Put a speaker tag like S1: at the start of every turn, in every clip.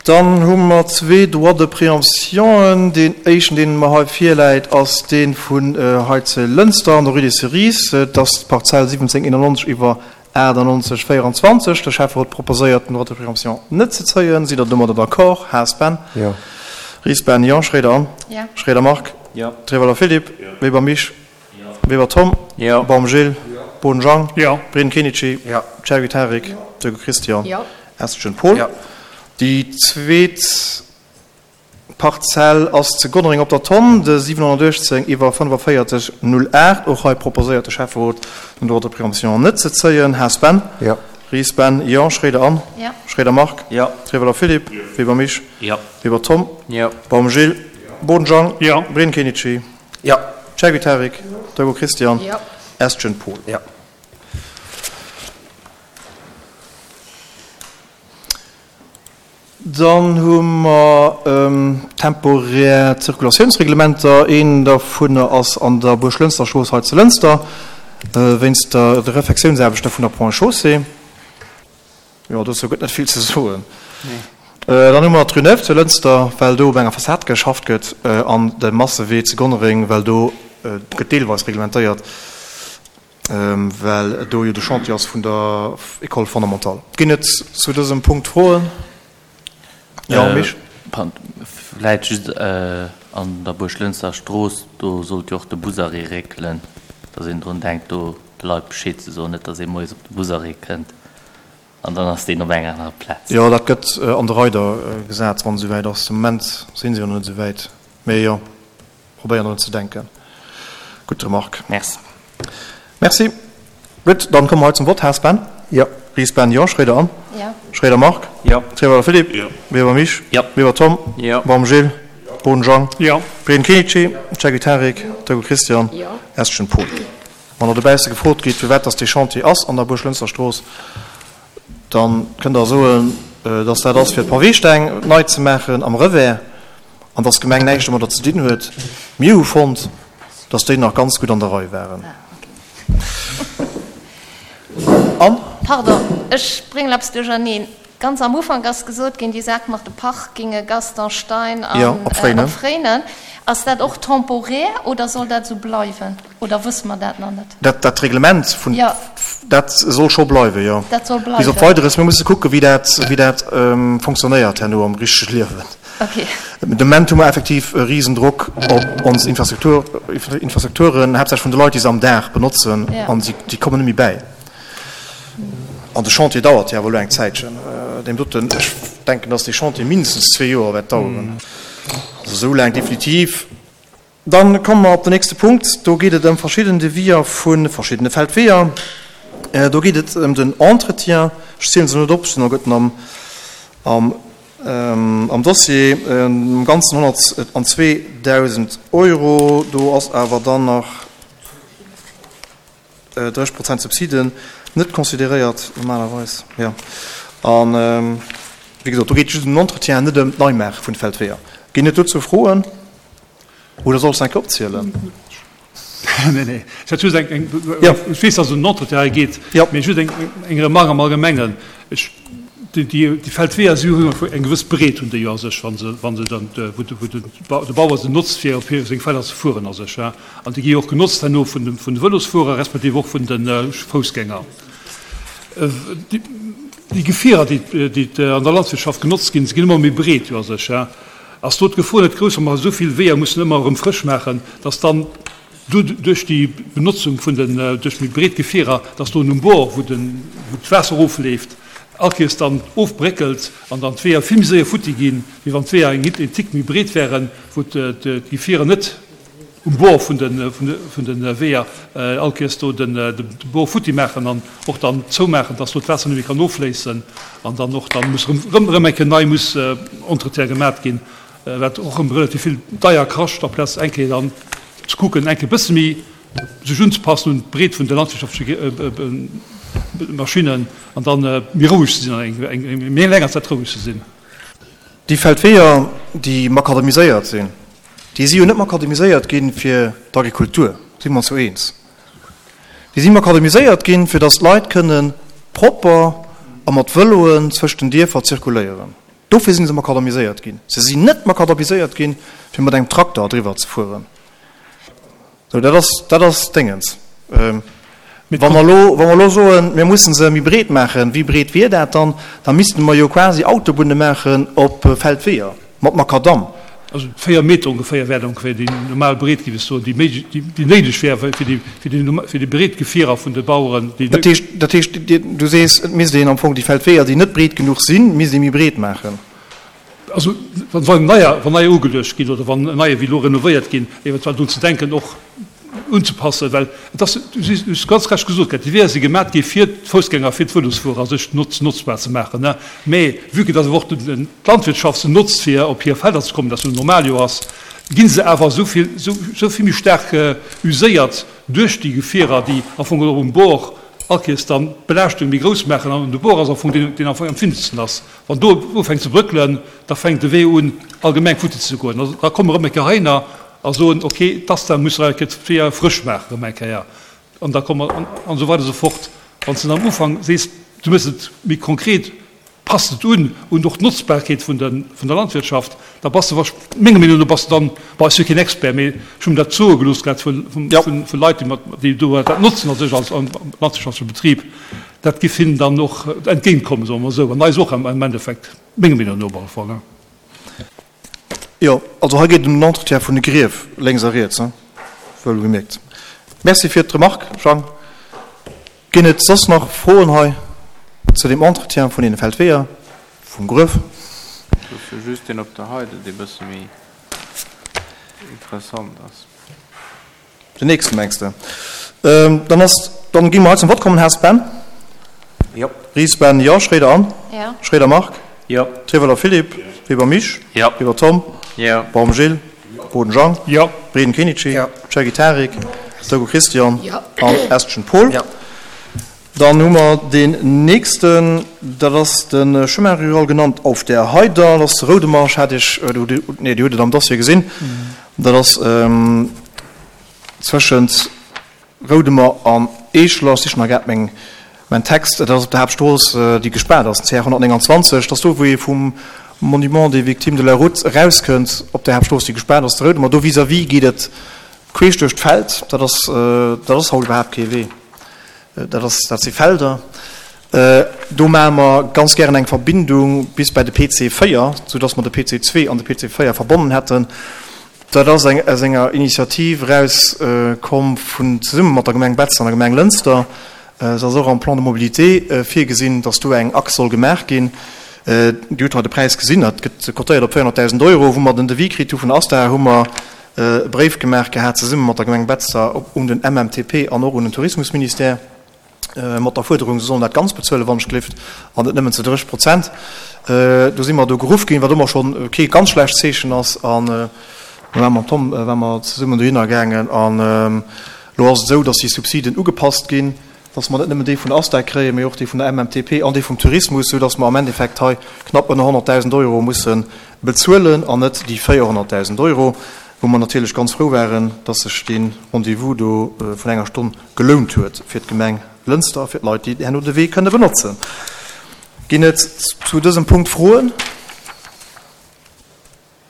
S1: Dann hu mer zwee Droits de préemptionen. Deen éischten, deen mer hei virläit, ass dee vun hei ze Lënster an der Rue des Cerises. Et ass d'Parzell 1791 iwwer 98 24. De Schäfferot proposéiert, den Droit de préemption net ze zéien. Sidd Der domadder d'accord? Haas Ben?
S2: Jo.
S1: Ries Ben? Jo. Schroeder Anne?
S3: Jo.
S1: Schroeder Marc?
S4: Jo.
S1: Trewelder Philippe?
S4: Jo.
S1: Weber Misch?
S4: Jo.
S1: Weber Tom?
S4: Jo.
S1: Baum Gilles?
S4: Jo.
S1: Boden Jang?
S5: Jo.
S1: Breen Kenichi?
S2: Jo.
S1: Chergui Tarik? Jo. Döge Christian?
S3: Jo.
S1: Estgen Paul?
S2: Jo.
S1: Déi zweet Parzell ass zu Gonnereng op der Tonn, de 718 iwwer 45 08. Och hei proposéiert de Schäfferot, den Droit de préemption net ze zéien. Haas Ben?
S2: Jo.
S1: Ries Ben? Jo. Schroeder Anne?
S3: Jo.
S1: Schroeder Marc?
S4: Jo.
S1: Trewelder Philippe?
S4: Jo.
S1: Weber Misch?
S4: Jo.
S1: Weber Tom?
S4: Jo.
S1: Baum Gilles?
S4: Jo.
S1: Boden Jang?
S5: Jo.
S1: Breen Kenichi?
S2: Jo.
S1: Chergui Tarik?
S3: Jo.
S1: Dögo Christian?
S3: Jo.
S1: Estgen Paul?
S2: Jo.
S1: Dann hu mer temporär Zirkulatiounsreglementer. Een dovunner ass an der Buerglënster Strooss hei zu Lënster, wéinst der de Refektiounsaarbechte vun der Ponts et Chaussées. Jo, dozou gëtt net vill ze soen. Dann hu mer d'Rue Neuve zu Lënster, well do op enger Fassad geschafft gëtt, an de Massewee zu Gonnereng, well do gëtt deelweis reglementéiert, well do jo de Chantier ass vun der École fondamentale. Ginn et zu dësem Punkt Froen? Jo, Misch?
S4: Vläit just an der Buerglënster Strooss, do sollt jo och de Busarrêt réckelen, datt een drun denkt, do de Leit Bescheed ze soen, net datt ee moies op de Busarrêt kënnt an dann ass deen op enger anerer Plaz.
S1: Jo, dat gëtt an de Reider gesat, wann et esouwäit ass. De Moment si se jo nach net esouwäit, mee jo. Probéieren drun ze denken. Gutt Remarque.
S4: Merci.
S1: Merci. Gutt, dann komme mer hei zum Vott. Haas Ben?
S2: Jo.
S1: Ries Ben? Jo. Schroeder Anne?
S3: Jo.
S1: Schroeder Marc?
S4: Jo.
S1: Trewelder Philippe?
S4: Jo.
S1: Weber Misch?
S4: Jo.
S1: Weber Tom?
S4: Jo.
S1: Baum Gilles?
S4: Jo.
S1: Boden Jang?
S5: Jo.
S1: Breen Kenichi? Chergui Tarik? Dögel Christian?
S3: Jo.
S1: Estgen Paul. Wann Der dobausse gefrot gitt, firwat dass dee Chantier ass an der Buerglënster Strooss, da kënnt Der soen, dass dat ass fir d'Paweesteng nei ze maachen am Revers. An dass d'Gemeng näischt domadder ze dinn huet. Mir hu fonnt, dass déi nach ganz gutt an der Rei waren. An?
S3: Pardon, ech bréngen eppes duercherneen. Ganz am Ufank ass gesot ginn, déi Saach mat de Parkinge Gaston Stein an op Fréinen. Ass dat och temporär oder soll dat esou bleiwen? Oder wësse mer dat nach net?
S1: Dat, dat Reglement vun,
S3: Jo.
S1: dat soll scho bleiwen, jo.
S3: Dat soll
S1: Bis op
S3: bleiwen.
S1: Weideres. Mir musse kucken, wéi dat, wéi dat fonctionnéiert herno am richtege Liewen.
S3: Okay.
S1: De Moment hu mer effektiv e Risendrock op ons Infrastruktur, Infrastrukturen, haaptsächlech vun de Leit, déi se am Dag benotzen,
S3: Ja.
S1: an si, déi kommen net méi bäi. An de Chantier dauert jo awer elo eng Zäitchen. Deem doten, ech denken, dass dee Chantier mindestens zwee Joer wäert daueren. Also esou laang definitiv. Dann komme mer op den nächste Punkt. Do geet et ëm verschidden Deviser vu verschiddene Feldweeër. Do geet et ëm den Entretien. Ech zielen se net op, se sinn alleguerten am, am Dossier. Am Ganzen 102.000 Euro. Do ass awer dann nach 30 Prozent Subsiden net consideréiert normalerweis. Jo. An, wéi gesot, do geet et just ëm den Entretien, net ëm d'Neimaache vun de Feldweeër. Ginn et dozou Froen? Oder soll ech se eng Kéier opzielen?
S5: Nee, nee. Ech hat just eng, eng,
S1: Jo.
S5: ech weess, dass et ëm den Entretien hei geet,
S1: Jo.
S5: mee just eng, eng Remarque am Allgemengen. Ech, déi, déi, déi Feldweeër, si hunn eng gewëss Breet hunn déi jo a sech, wa se, wa se dann, wou de, wou de, de Bauer se notzt, fir op hir, seng Felder ze fueren a sech, hein. An déi gi jo och genotzt herno vun de, vun de Vëlosfuerer respektiv och vun de Foussgänger. Déi, déi Gefierer, déi, déi an der Landwirtschaft genotzt ginn, se ginn ëmmer méi breet jo a sech, hein. Ass do d'Gefor net grouss, wa mer esou vill Weeër mussen ëmmer erëm frësch maachen, dass dann do duerch déi Benotzung vun den, duerch méi breet Gefierer, dass do um Bord, wou den, wou d'Waasser erofleeft, all Kéiers dann ofbréckelt an dann d'Weeër vill méi séier futti ginn, wéi wann d'Weeër eng en Tick méi breet wären, wou d'Gefierer net um Bord vun de, vun de Weeër all Kéiers do den, de Bord futti maachen an och dann zoumaachen, dass do d'Waasser net méi kann offléissen an dann och dann muss erëm, erëm eng Kéier nei muss Entretien gemat ginn, wat och erëm relativ vill deier kascht, amplaz eng Kéier dann ze kucken, eng Kéier e bësse méi sech unzepassen un d'Breet vun de landwirtschaftleche Maschinnen an dann méi roueg ze sinn an eng méi länger Zäit roueg ze sinn.
S1: Déi Feldweeër, déi makadamiséiert sinn, déi si jo net makadamiséiert gi fir d'Agrikultur, si mer ons jo eens. Déi si makadamiséiert ginn, fir datt d'Leit kënne propper a mat Vëloen zwëscht den Dierfer zirkuléieren. Dofir si se makadamiséiert ginn. Se sinn net makadamiséiert ginn, fir mat engem Trakter driwwer ze fueren. Sou, dat ass, dat ass Déngens. Wa mer elo, wa mer elo soen, mir mussen se méi breet maachen, wéi breet wier dat dann? Da misste mer jo quasi Autobunne maachen op Feldweeër mat Makadamm.
S5: Also 4 Meter ongeféier wär ongeféier déi normal Breet, géif ech soen, déi méiglech, déi néideg wär fir déi, fir déi, fir déi breet Gefierer vun de Baueren, déi.
S1: Dat heescht, dat heescht, du sees, et misst een am Fong déi Feldweeër, déi net breet genuch sinn, misst ee méi breet maachen.
S5: Also wann neier, wann neier ugeluecht ginn oder wann neier wéi elo renovéiert ginn, eventuell drun ze denken och unzepassen, well et ass, du hues ganz recht gesot gehat, déi Weeër si gemat gi fir d'Foussgänger, fir d'Vëlosfuerer sech notz, notzbar ze maachen, ne. Mä vue que dass awer och d'Landwirtschaft se notzt fir op hir Felder ze kommen, dat jo normal jo ass, gi se awer esou vill, esou vill méi staark uséiert duerch déi Gefierer, déi am Fong och um Bord allkéiers dann d'Belaaschtung méi grouss maachen. An de Bord ass am Fong deen, deen am Fong empfindlechsten ass. Wann do ufänkt ze brëckelen, da fänkt de Wee un allgemeng futti ze goen. Da komme erëm eng Kéier heihinner a soen, okay, d'ASTA muss nach eng Kéier d'Weeër frësch maachen erëm eng Kéier. An da komme mer, an esou weider esou fort. Wann s de am Ufank sees, du méchs et méi konkret, passt et un un och d'Notzbarkeet vun der vun der Landwirtschaft, da bass de wahrsch-, menger Meenung no bass de dann, bon, ech si keen Expert, mee ech hu mir dat soe gelooss grad vu vu Leit, déi mat, déi do dat notzen a sech als landwirtschaftleche Betrib, dat giff hinnen dann och entgéintkommen, soe mer esou, an eis och am Endeffekt, menger Meenung no op alle Fall.
S1: Jo, also hei geet et ëm den Entretien vun de Grief lénks a riets, hein, wuel gemierkt. Merci fir d'Remarque, Jang. Ginn et soss nach Froen hei zu deem Entretien vun deene Feldweeër, vum Gruef?
S2: Et ass jo just deen op der Heide, dee bësse méi interessant ass.
S1: Den nächsten mengs de? Dann ass, dann gi mer hei zum Vott kommen. Haas Ben?
S2: Jo.
S1: Ries Ben, jo. Schréider Anne?
S3: Jo.
S1: Schréider Marc?
S4: Jo.
S1: Trieweler Philippe?
S2: Jo.
S1: Weber Misch?
S4: Jo.
S1: Weber Tom?
S2: Jo.
S1: Baum Gilles?
S2: Jo.
S1: Boden Jang?
S5: Jo.
S1: Breden Kenichi?
S2: Jo.
S1: Cherki Tarik?
S3: Jo.
S1: Togo Christian?
S3: Jo.
S1: An Estgen Paul?
S2: Jo.
S1: Dann hu mer deen nächsten, dat ass de Chemin rural genannt Auf der Heider. Dat ass Roudemarsch, hat ech, nee, Dir hutt et am Dossier gesinn. Dat ass zwëschent Roudemer an Eeschler. Ech sichen nach grad meng, mäin Text. Dat ass op der Haaptstrooss, déi gespaart ass, den CR 129. Dat ass do, wou ee vum Monument des Victimes de la Route erauskënnt, op der Haaptstrooss, déi gespaart ass, zu Roudemer. Do vis-à-vis geet et queesch duerch d'Feld. Dat ass, dat ass haut iwwerhaapt kee Wee. Dat ass, dat si Felder. Do maache mer ganz gären eng Verbindung bis bei de PC 4, soudass mer de PC 2 an de PC 4 verbonnen hätten. Dat ass eng aus enger Initiativ eraus komm vun zesumme mat der Gemeng Betzen an der Gemeng Lënster. Et ass och am Plan de mobilité virgesinn, dass do eng Achs soll gemaach ginn. Dir hutt hei de Präis gesinn, dat gëtt cotéiert op 400.000 Euro. Wou mer den Devis kritt hu vun der ASTA, hu mer e Bréif gemaach gehat zesumme mat der Gemeng Betzder un den MMTP an och un den Tourismusministère mat der Fuerderung, se sollen dat ganz bezuelen, wann ech gelift, an net nëmmen zu 30 Prozent. Do si mer do geruff ginn, wat ëmmer schonn kee ganz schlecht Zeechen ass. An do ware mer mam Tom ware mer zesummen dohinner gaangen. An elo ass et esou, datt déi Subsiden ugepasst ginn, datt mer net nëmmen déi vun der ASTA kréien, mee och déi vun der MMTP an déi vum Tourismus, soudatt mer am Endeffekt hei knapp ënner 100.000 Euro musse bezuelen an net déi 400.000 Euro, wou mer natierlech ganz frou waren, dass sech dee Rendez-vous do vun enger Stonn gelount huet fir d'Gemeng Lënster a fir d'Leit, déi herno de Wee kënne benotzen. Ginn et zu dësem Punkt Froen?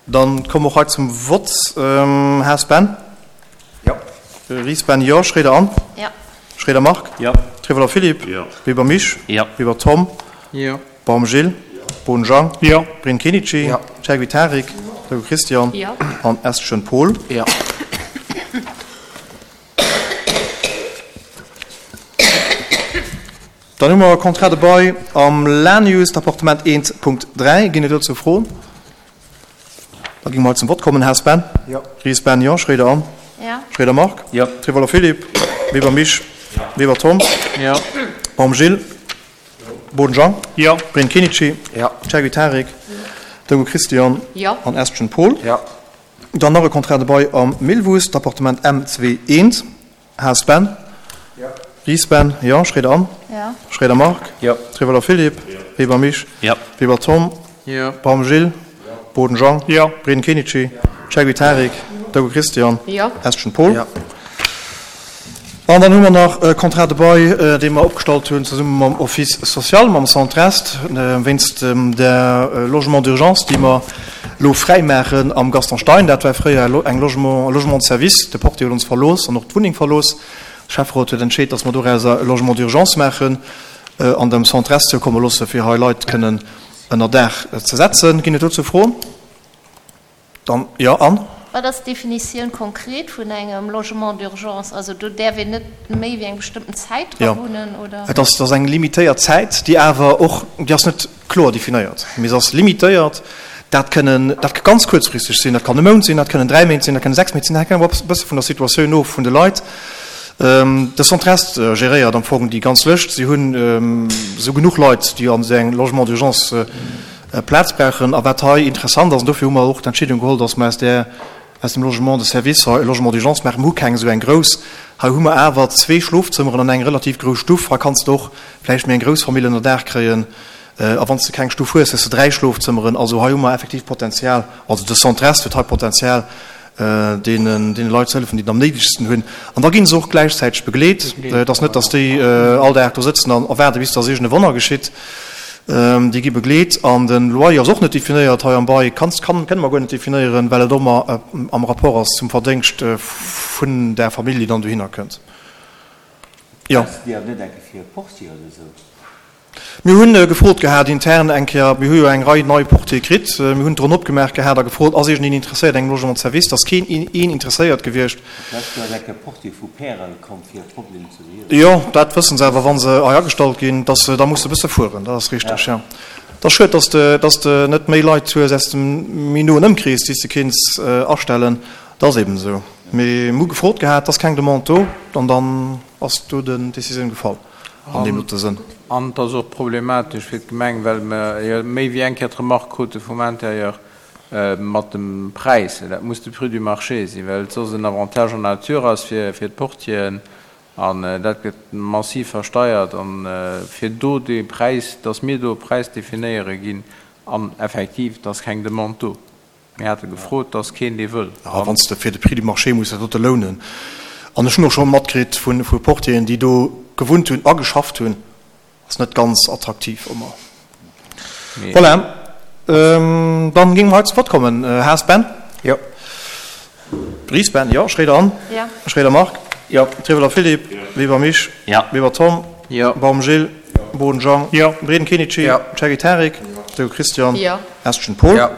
S1: Dann komme mer och hei zum Vott. Haas Ben?
S2: Jo.
S1: Ries Ben, Jo. Schréider Anne?
S3: Jo.
S1: Schréider Marc?
S4: Jo.
S1: Trieweler Philippe?
S2: Jo.
S1: Weber Misch?
S4: Jo.
S1: Weber Tom?
S2: Jo.
S1: Baum Gilles, Bohn Jang,
S5: Jo.
S1: Brin Kenichi,
S2: Jo.
S1: Chergui Tarik, Togo Christian
S3: Jo.
S1: an Estgen Paul.
S2: Jo.
S1: Dann hu mer e Contrat de bail am Lanius, d'Appartement 1.3. Ginn et dozou Froen? Da gi mer zum Vott kommen. Haas Ben?
S2: Jo.
S1: Ries Ben, jo. Schréider Anne?
S3: Jo.
S1: Schréider Marc?
S4: Jo.
S1: Trivoller Philippe? Weber Misch?
S2: Jo.
S1: Weber Tom?
S2: Jo.
S1: Baum Gilles? Boden Jean?
S5: Jo.
S1: Brin Kenichi?
S2: Jo.
S1: Chergui Tarik? Togo Christian?
S3: Jo.
S1: An Estgen Paul?
S2: Jo.
S1: Dann nach e Contrat de bail am Millwuess, d'Appartement M2 I. Haas Ben?
S2: Jo.
S1: Ries Ben? Jo. Schréider Anne?
S3: Jo.
S1: Schréider Marc?
S4: Jo.
S1: Triveller Philippe?
S2: Jo.
S1: Weber Misch?
S4: Jo.
S1: Weber Tom?
S2: Jo.
S1: Baum Gilles?
S2: Jo.
S1: Boden Jean?
S5: Jo.
S1: Brin Kenichi?
S2: Jo.
S1: Chergui Tarik? Togo Christian?
S3: Jo.
S1: Estgen Paul?
S2: Jo.
S1: An dann hu mer nach e Contrat de bail, dee mer opgestallt hunn zesumme mam Office social, mam Centre Est, wéinst der Logement d'urgence, déi mer elo fräimaachen am Gaston Stein. Dat war fréier eng Logement, e Logement de service. De Portier huet ons verlooss an och d'Wunneng verlooss. De Schäfferot huet entscheet, dass mer dorauser e Logement d'urgence maachen an dem Centre Est zoukomme loosse fir hei Leit kënnen ënner Daach ze setzen. Ginn et dozou Froen? Dann, jo, Anne?
S3: Wat ass d'Definitioun konkret vun engem Logement d'urgence? Also do däerf een net méi wéi eng bestëmmten Zäit dra wunnen, oder?
S1: Jo, et ass, et ass eng limitéiert Zäit, déi awer och, déi ass net kloer definéiert, mee se ass limitéiert. Dat kënnen, dat ka ganz kuerzfristeg sinn, dat kann e Mount sinn, dat kënnen 3 Méint sinn, dat kënnen 6 Méint sinn, dat hänkt awer e bësse vun der Situatioun of vun de Leit. De Centre Est geréiert am Fong déi ganz Lëscht. Si hunn esou genuch Leit, déi an esou engem Logement d'urgence Plaz brauchen. A wat hei interessant ass, an dofir hu mer och d'Entscheedung geholl, dass mer aus där, aus dem Logement de service hei e Logement d'urgence maachen. Mer hu keng esou eng grouss. Hei hu mer awer zwee Schlofzëmmeren an eng relativ grouss Stuff. Hei kanns de och vläicht méi eng grouss Famill ënner Daach kréien. A wann s de keng Stuff hues, hues de dräi Schlofzëmmeren. Also hei hu mer effektiv Potenzial, also de Centre Est huet hei Potenzial, deenen Leit ze hëllefen, déi et am néidegsten hunn. An da gi se och gläichzäiteg begleet. Et ass net, datt déi all Dag do sëtzen an erwaarden, bis datt iergend e Wonner geschitt. Déi gi begleet. An de Loyer ass och net definéiert hei am Bail, kann, kënne mer guer net definéieren, well et och ëmmer am Rapport ass zum Verdéngscht vun där Famill, déi dann dohinner kënnt. Jo.
S6: Brauchs de déi awer net enke fir e Portier oder esou?
S1: Mir hunn gefrot gehat intern eng Kéier, mir hu jo eng Rei nei Portiere kritt, mir hunn d'Ronn opgemaach gehat a gefrot, ass iergendeen interesséiert engem Logement de service? Et ass keen een interesséiert gewiescht.
S6: D'lescht Joer ass eng Kéier e Portier vu Pärel komm fir e Problem ze behiewen.
S1: Jo, dat wëssen se awer, wa se hei agestallt ginn, dass se da musse e bësse fueren, dat ass richteg, jo. Et ass schued, dass de, dass de net méi Leit hues aus dem méi noen Ëmkrees, déi s de kéints astellen. Dat ass eben esou. Mee mir hu gefrot gehat, et ass keng Demande do an dann ass do den Décisioun gefall. An deem dote Sënn.
S2: An et ass och problematesch fir d'Gemeng, well mer jo méi wéi eng Kéier d'Remark krute vum Intérieur mat dem Präis. Dat muss de Prix du marché sinn, well et soss en Avantage en nature ass fir d'Portieren. An dat gëtt massiv versteiert. An fir do dee Präis, dass mir do e Präis definéiere ginn, an effektiv, et ass keng Demande do. Mir hate gefrot, et ass keen, dee wëll.
S1: A wann s de fir de Prix du marché muss dat dote lounen, an ech hunn och scho matkritt vu Portieren, déi do gewunnt hunn a geschafft hunn, ass net ganz attraktiv ëmmer. Voilà, dann géinge mer hei zu Vott kommen. Haas Ben?
S2: Jo.
S1: Ries Ben? Jo. Schréider Anne?
S3: Jo.
S1: Schréider Marc?
S2: Jo.
S1: Trieweler Philippe?
S2: Jo.
S1: Weber Misch?
S4: Jo.
S1: Weber Tom?
S2: Jo.
S1: Baum Gilles?
S2: Jo.
S1: Boden Jean?
S2: Jo.
S1: Breden Kenichi?
S2: Jo.
S1: Ceggie Tarik? Jo. Dego Christian?
S3: Jo.
S1: Estgen Paul?
S2: Jo.